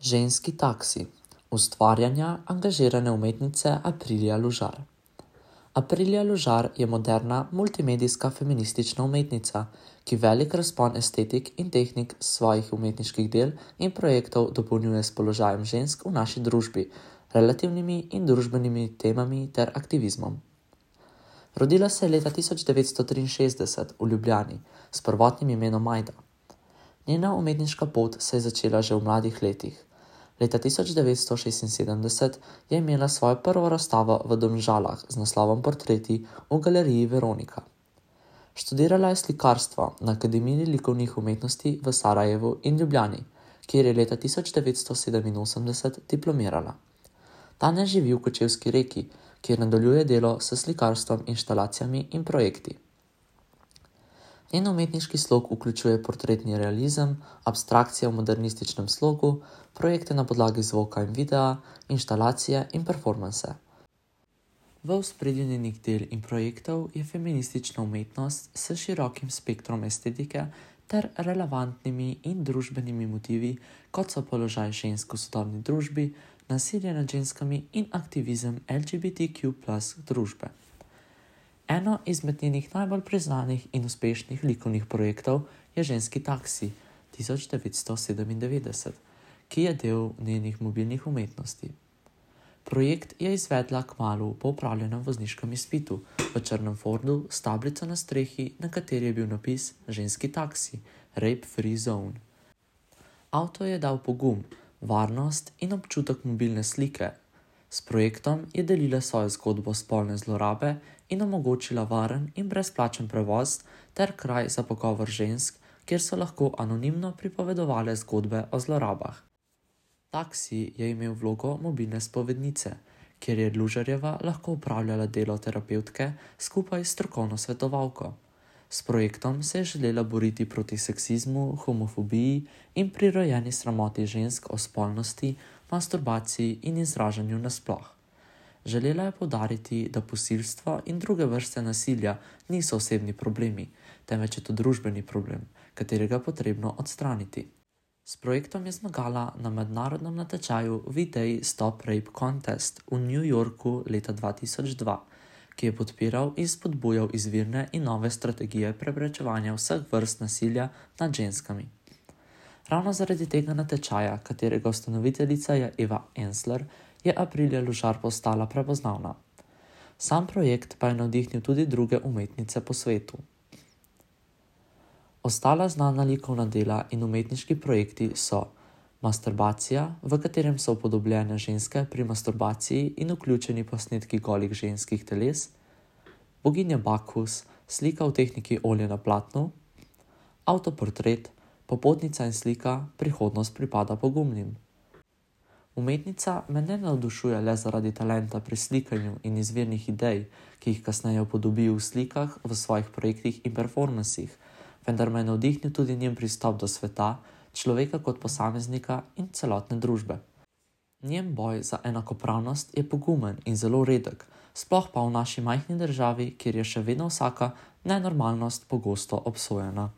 Ženski taksi. Ustvarjanja angažirane umetnice Aprilija Lužar. Aprilija Lužar je moderna, multimedijska feministična umetnica, ki velik razpon estetik in tehnik svojih umetniških del in projektov dopolnjuje s položajem žensk v naši družbi, relativnimi in družbenimi temami ter aktivizmom. Rodila se je leta 1963 v Ljubljani s prvotnim imenom Majda. Njena umetniška pot se je začela že v mladih letih. Leta 1976 je imela svojo prvo razstavo v Domžalah z naslovom Portreti v galeriji Veronika. Študirala je slikarstvo na Akademiji likovnih umetnosti v Sarajevu in Ljubljani, kjer je leta 1987 diplomirala. Danes živi v Kočevski Reki, kjer nadaljuje delo s slikarstvom, inštalacijami in projekti. Njen umetniški slog vključuje portretni realizem, abstrakcije v modernističnem slogu, projekte na podlagi zvoka in videa, inštalacije in performanse. V ospredju njenih del in projektov je feministična umetnost s širokim spektrom estetike ter relevantnimi in družbenimi motivi, kot so položaj žensk v sodobni družbi, nasilje nad ženskami in aktivizem LGBTQ+ družbe. Eno izmed njenih najbolj priznanih in uspešnih likovnih projektov je Ženski taksi 1997, ki je del njenih mobilnih umetnosti. Projekt je izvedla kmalu po opravljenem vozniškem izpitu v črnem Fordu s tablico na strehi, na kateri je bil napis Ženski taksi, Rape Free Zone. Avto je dal pogum, varnost in občutek mobilne slike. S projektom je delila svojo zgodbo spolne zlorabe in omogočila varen in brezplačen prevoz ter kraj za pogovor žensk, kjer so lahko anonimno pripovedovale zgodbe o zlorabah. Taksi je imel vlogo mobilne spovednice, kjer je Lužarjeva lahko opravljala delo terapevtke skupaj s strokovno svetovalko. S projektom se je želela boriti proti seksizmu, homofobiji in prirojeni sramoti žensk o spolnosti, masturbaciji in izražanju nasploh. Želela je poudariti, da posilstvo in druge vrste nasilja niso osebni problemi, temveč je to družbeni problem, katerega je potrebno odstraniti. S projektom je zmagala na mednarodnem natečaju V-Day Stop Rape Contest v New Yorku leta 2002, ki je podpiral in spodbujal izvirne in nove strategije preprečevanja vseh vrst nasilja nad ženskami. Ravno zaradi tega natečaja, katerega ustanoviteljica je Eva Ensler, je Aprilija Lužar postala prepoznavna. Sam projekt pa je navdihnil tudi druge umetnice po svetu. Ostala znana likovna dela in umetniški projekti so Masturbacija, v katerem so upodobljene ženske pri masturbaciji in vključeni posnetki golih ženskih teles, Boginja Bakus, slika v tehniki olja na platnu, Avtoportret, Popotnica in slika Prihodnost pripada pogumnim. Umetnica me ne navdušuje le zaradi talenta pri slikanju in izvirnih idej, ki jih kasneje upodobi v slikah, v svojih projektih in performansih, vendar me je navdihnil tudi njen pristop do sveta, človeka kot posameznika in celotne družbe. Njen boj za enakopravnost je pogumen in zelo redek, sploh pa v naši majhni državi, kjer je še vedno vsaka nenormalnost pogosto obsojena.